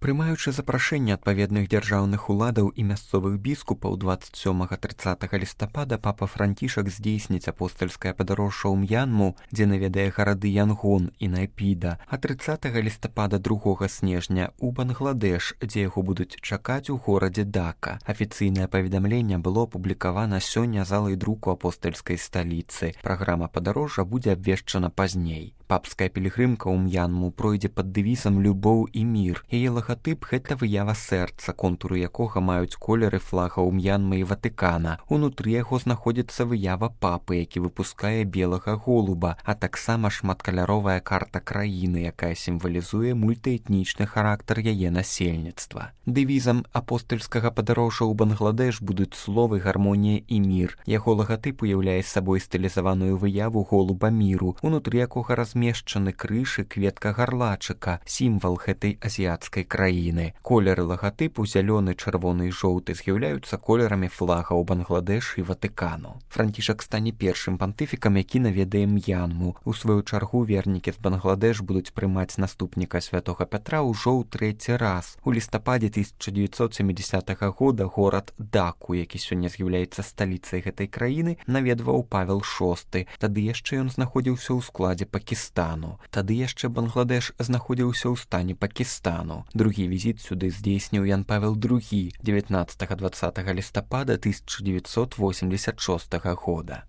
Прымаючы запрашэнне адпаведных дзяржаўных уладаў і мясцовых біскупаў 27-30 лістапада папа Францішак здзейсніць апостальскае падарожжа ў М'янму, дзе наведае гарады Янгон і Найпіда, а 30 лістапада 2 снежня ў Бангладеш, дзе яго будуць чакаць у горадзе Дака. Афіцыйнае паведамленне было апублікавана сёння залай друку апостальскай сталіцы. Праграма падарожжа будзе абвешчана пазней. Папская пілігрымка ў М'янму пройдзе пад дэвізам «Любоў і мір». Яе лагатып – гэта выява сэрца, контуры якога маюць колеры флагаў М'янмы і Ватыкана. Унутры яго знаходзіцца выява папы, які выпускае белага голуба, а таксама шматкаляровая карта краіны, якая сімвалізуе мультыэтнічны характар яе насельніцтва. Дэвізам апостальскага падарожжа ў Бангладеш будуць словы «Гармонія і мір». Яго лагатып уяўляе сабой стылізаваную выяву голуба міру, унутры якога размешчаны крыж і кветка гарлачыка, сімвал гэтай азіяцкай краіны. Колеры лагатыпу зялёны, чырвоны і жоўты з'яўляюцца колерамі флагаў Бангладеш і Ватыкану. Францішак стане першым пантыфікам, які наведае М'янму. У сваю чаргу вернікі з Бангладеш будуць прымаць наступніка святога Пятра ўжо ў 3-й раз. У лістападзе 1970 года горад Даку, які сёння з'яўляецца сталіцай гэтай краіны, наведваў Павел VI. Тады яшчэ ён знаходзіўся ў складзе Пакістану. Тады яшчэ Бангладеш знаходзіўся ў стане Пакістану. Другі візіт сюды здзейсніў Ян Павел II 19-20 лістапада 1986 года.